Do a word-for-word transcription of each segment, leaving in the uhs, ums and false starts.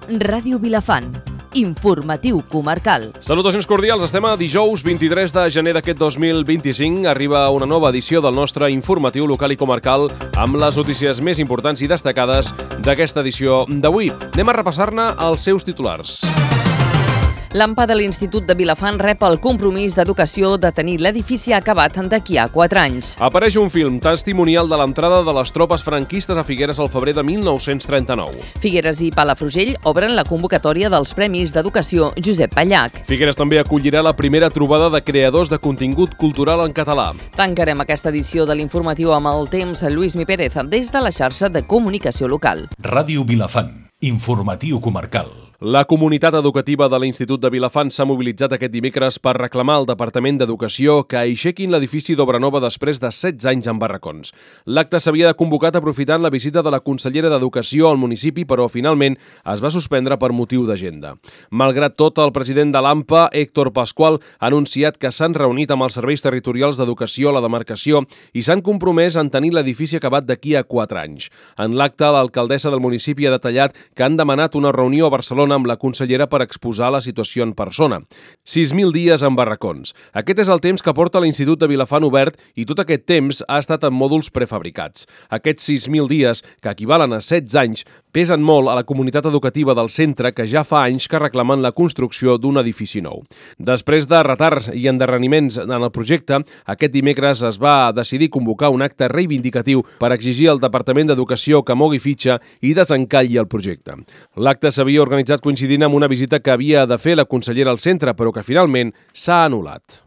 Ràdio Vilafant. Informatiu comarcal. Salutacions cordials, estem a dijous vint-i-tres de gener d'aquest dos mil vint-i-cinc. Arriba una nova edició del nostre informatiu local i comarcal amb les notícies més importants i destacades d'aquesta edició d'avui. Anem a repassar-ne els seus titulars. L'A M P A de l'Institut de Vilafant rep el compromís d'educació de tenir l'edifici acabat d'aquí a quatre anys. Apareix un film testimonial de l'entrada de les tropes franquistes a Figueres al febrer de mil nou-cents trenta-nou. Figueres i Palafrugell obren la convocatòria dels Premis d'Educació Josep Pallach. Figueres també acollirà la primera trobada de creadors de contingut cultural en català. Tancarem aquesta edició de l'informatiu amb el temps Lluís Mi Pérez des de la xarxa de comunicació local. Ràdio Vilafant, informatiu comarcal. La comunitat educativa de l'Institut de Vilafant s'ha mobilitzat aquest dimecres per reclamar al Departament d'Educació que aixequin l'edifici d'obra nova després de setze anys en barracons. L'acte s'havia convocat aprofitant la visita de la consellera d'Educació al municipi, però finalment es va suspendre per motiu d'agenda. Malgrat tot, el president de l'A M P A, Héctor Pascual, ha anunciat que s'han reunit amb els serveis territorials d'educació a la demarcació i s'han compromès en tenir l'edifici acabat d'aquí a quatre anys. En l'acte, l'alcaldessa del municipi ha detallat que han demanat una reunió a Barcelona amb la consellera per exposar la situació en persona. sis mil dies en barracons. Aquest és el temps que porta l'Institut de Vilafant obert i tot aquest temps ha estat en mòduls prefabricats. Aquests sis mil dies, que equivalen a setze anys, pesen molt a la comunitat educativa del centre que ja fa anys que reclamen la construcció d'un edifici nou. Després de retards i endarreriments en el projecte, aquest dimecres es va decidir convocar un acte reivindicatiu per exigir al Departament d'Educació que mogui fitxa i desencalli el projecte. L'acte s'havia organitzat coincidint amb una visita que havia de fer la consellera al centre, però que finalment s'ha anul·lat.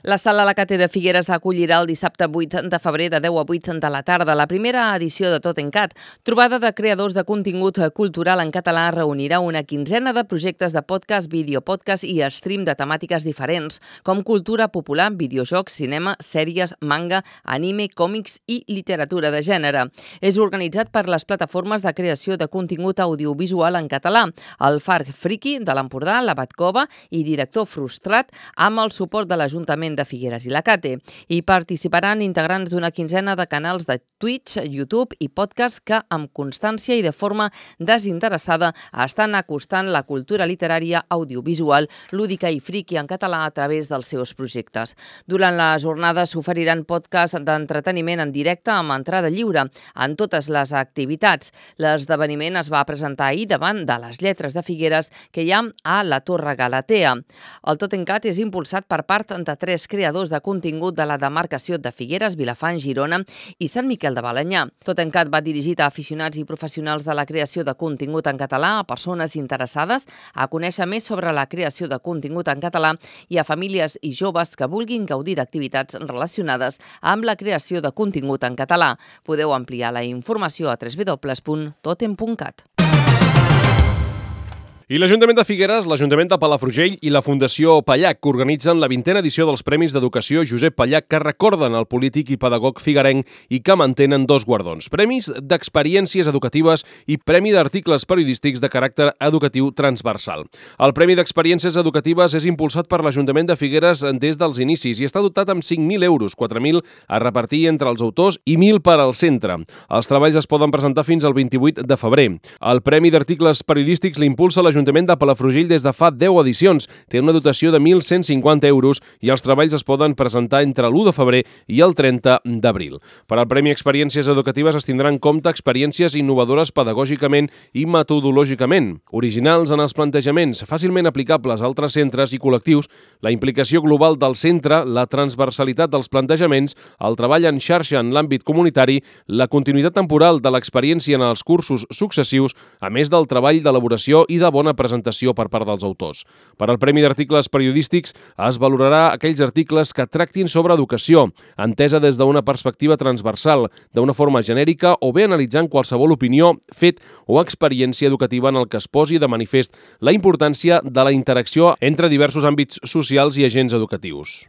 La Sala La Cate de Figueres acollirà el dissabte vuit de febrer de deu a vuit de la tarda la primera edició de Tot en Cat. Trobada de creadors de contingut cultural en català reunirà una quinzena de projectes de podcast, videopodcast i stream de temàtiques diferents, com cultura popular, videojocs, cinema, sèries, manga, anime, còmics i literatura de gènere. És organitzat per les plataformes de creació de contingut audiovisual en català, el Farc Friki de l'Empordà, la Batcova i Director Frustrat, amb el suport de l'Ajuntament de Figueres i La Cate. Hi participaran integrants d'una quinzena de canals de Twitch, YouTube i podcast que, amb constància i de forma desinteressada, estan acostant la cultura literària, audiovisual, lúdica i friki en català a través dels seus projectes. Durant la jornada s'oferiran podcasts d'entreteniment en directe amb entrada lliure en totes les activitats. L'esdeveniment es va presentar ahir davant de les Lletres de Figueres que hi ha a la Torre Galatea. El Tot en Cat és impulsat per part de tres creadors de contingut de la demarcació de Figueres, Vilafant, Girona i Sant Miquel de Balenyà. Tot en Cat va dirigit a aficionats i professionals de la creació de contingut en català, a persones interessades a conèixer més sobre la creació de contingut en català i a famílies i joves que vulguin gaudir d'activitats relacionades amb la creació de contingut en català. Podeu ampliar la informació a w w w punt totem punt cat. I l'Ajuntament de Figueres, l'Ajuntament de Palafrugell i la Fundació Pallach que organitzen la vintena edició dels Premis d'Educació Josep Pallach que recorden el polític i pedagog figuerenc i que mantenen dos guardons. Premis d'experiències educatives i Premi d'articles periodístics de caràcter educatiu transversal. El Premi d'experiències educatives és impulsat per l'Ajuntament de Figueres des dels inicis i està dotat amb cinc mil euros, quatre mil a repartir entre els autors i mil per al centre. Els treballs es poden presentar fins al vint-i-vuit de febrer. El Premi d'articles periodístics l'impulsa l'Ajuntament L'Ajuntament de Palafrugell des de fa deu edicions. Té una dotació de mil cent cinquanta euros i els treballs es poden presentar entre l'u de febrer i el trenta d'abril. Per al Premi Experiències Educatives es tindran en compte experiències innovadores pedagògicament i metodològicament, originals en els plantejaments, fàcilment aplicables a altres centres i col·lectius, la implicació global del centre, la transversalitat dels plantejaments, el treball en xarxa en l'àmbit comunitari, la continuïtat temporal de l'experiència en els cursos successius, a més del treball d'elaboració i de bona presentació per part dels autors. Per al Premi d'Articles Periodístics es valorarà aquells articles que tractin sobre educació, entesa des d'una perspectiva transversal, d'una forma genèrica o bé analitzant qualsevol opinió, fet o experiència educativa en el que es posi de manifest la importància de la interacció entre diversos àmbits socials i agents educatius.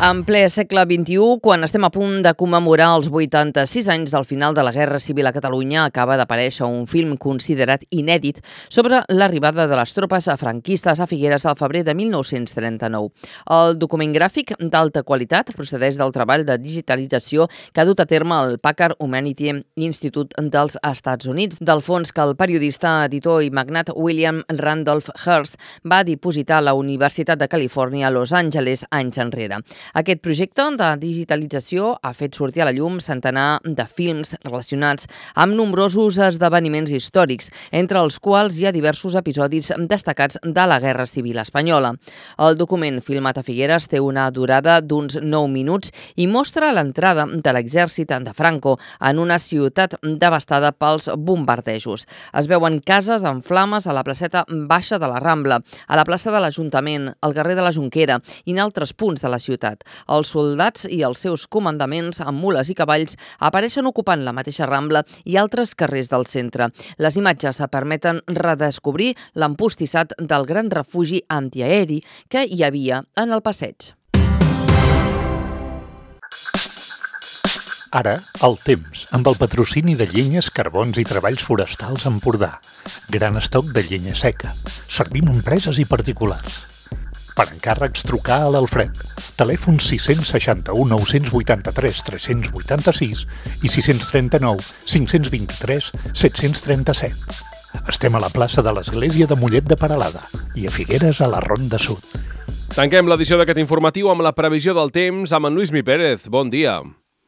En ple segle vint-i-u, quan estem a punt de commemorar els vuitanta-sis anys del final de la Guerra Civil a Catalunya, acaba d'aparèixer un film considerat inèdit sobre l'arribada de les tropes franquistes a Figueres al febrer de mil nou-cents trenta-nou. El document gràfic d'alta qualitat procedeix del treball de digitalització que ha dut a terme el Packard Humanity Institute dels Estats Units, del fons que el periodista, editor i magnat William Randolph Hearst va dipositar a la Universitat de Califòrnia a Los Angeles anys enrere. Aquest projecte de digitalització ha fet sortir a la llum centenar de films relacionats amb nombrosos esdeveniments històrics, entre els quals hi ha diversos episodis destacats de la Guerra Civil espanyola. El document filmat a Figueres té una durada d'uns nou minuts i mostra l'entrada de l'exèrcit de Franco en una ciutat devastada pels bombardejos. Es veuen cases en flames a la placeta baixa de la Rambla, a la plaça de l'Ajuntament, al carrer de la Jonquera i en altres punts de la ciutat. Els soldats i els seus comandaments amb mules i cavalls apareixen ocupant la mateixa Rambla i altres carrers del centre. Les imatges permeten redescobrir l'empostissat del gran refugi antiaeri que hi havia en el passeig. Ara, el temps, amb el patrocini de Llenyes, Carbons i Treballs Forestals Empordà. Gran estoc de llenya seca. Servim empreses i particulars. Per encàrrecs, trucar a l'Alfred. Telèfon sis seixanta-u, nou vuitanta-tres, tres vuitanta-sis i sis trenta-nou, cinc vint-i-tres, set trenta-set. Estem a la plaça de l'Església de Mollet de Peralada i a Figueres, a la Ronda Sud. Tanquem l'edició d'aquest informatiu amb la previsió del temps amb en Lluís Mi Pérez. Bon dia.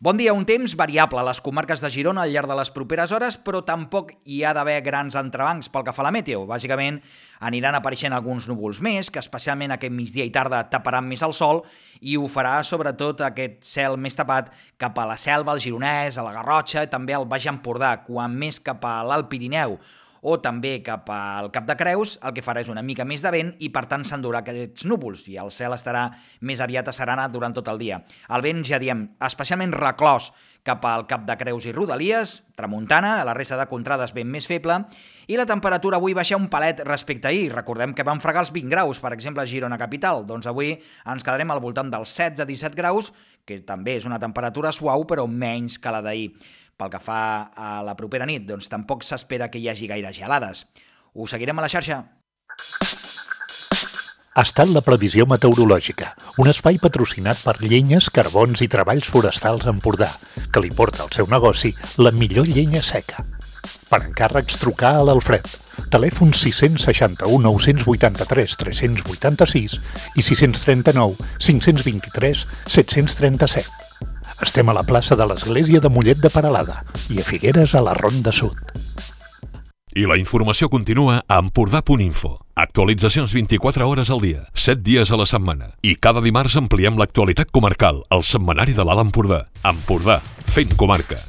Bon dia, un temps variable a les comarques de Girona al llarg de les properes hores, però tampoc hi ha d'haver grans entrebancs pel que fa a la meteo. Bàsicament, aniran apareixent alguns núvols més, que especialment aquest migdia i tarda taparan més el sol, i ho farà sobretot aquest cel més tapat cap a la Selva, al Gironès, a la Garrotxa, i també al Baix Empordà, quan més cap a l'Alt Pirineu, o també cap al Cap de Creus, el que farà és una mica més de vent i per tant s'endurà aquests núvols i el cel estarà més aviat asserenat durant tot el dia. El vent, ja diem, especialment reclòs cap al Cap de Creus i Rodalies, tramuntana, a la resta de contrades vent més feble, i la temperatura avui baixa un palet respecte a ahir. Recordem que vam fregar els vint graus, per exemple, a Girona capital, doncs avui ens quedarem al voltant dels setze a disset graus, que també és una temperatura suau però menys que la d'ahir. Pel que fa a la propera nit, doncs tampoc s'espera que hi hagi gaires gelades. Ho seguirem a la xarxa. Ha estat la previsió meteorològica, un espai patrocinat per Llenyes, Carbons i Treballs Forestals Empordà, que li porta al seu negoci la millor llenya seca. Per encàrrecs, trucar a l'Alfred. Telèfon sis seixanta-u, nou vuitanta-tres, tres vuitanta-sis i sis trenta-nou, cinc vint-i-tres, set trenta-set. Estem a la plaça de l'Església de Mollet de Peralada i a Figueres, a la Ronda Sud. I la informació continua a empordà punt info. Actualitzacions vint-i-quatre hores al dia, set dies a la setmana. I cada dimarts ampliem l'actualitat comarcal, al setmanari de l'Alt Empordà. Empordà, fent comarca.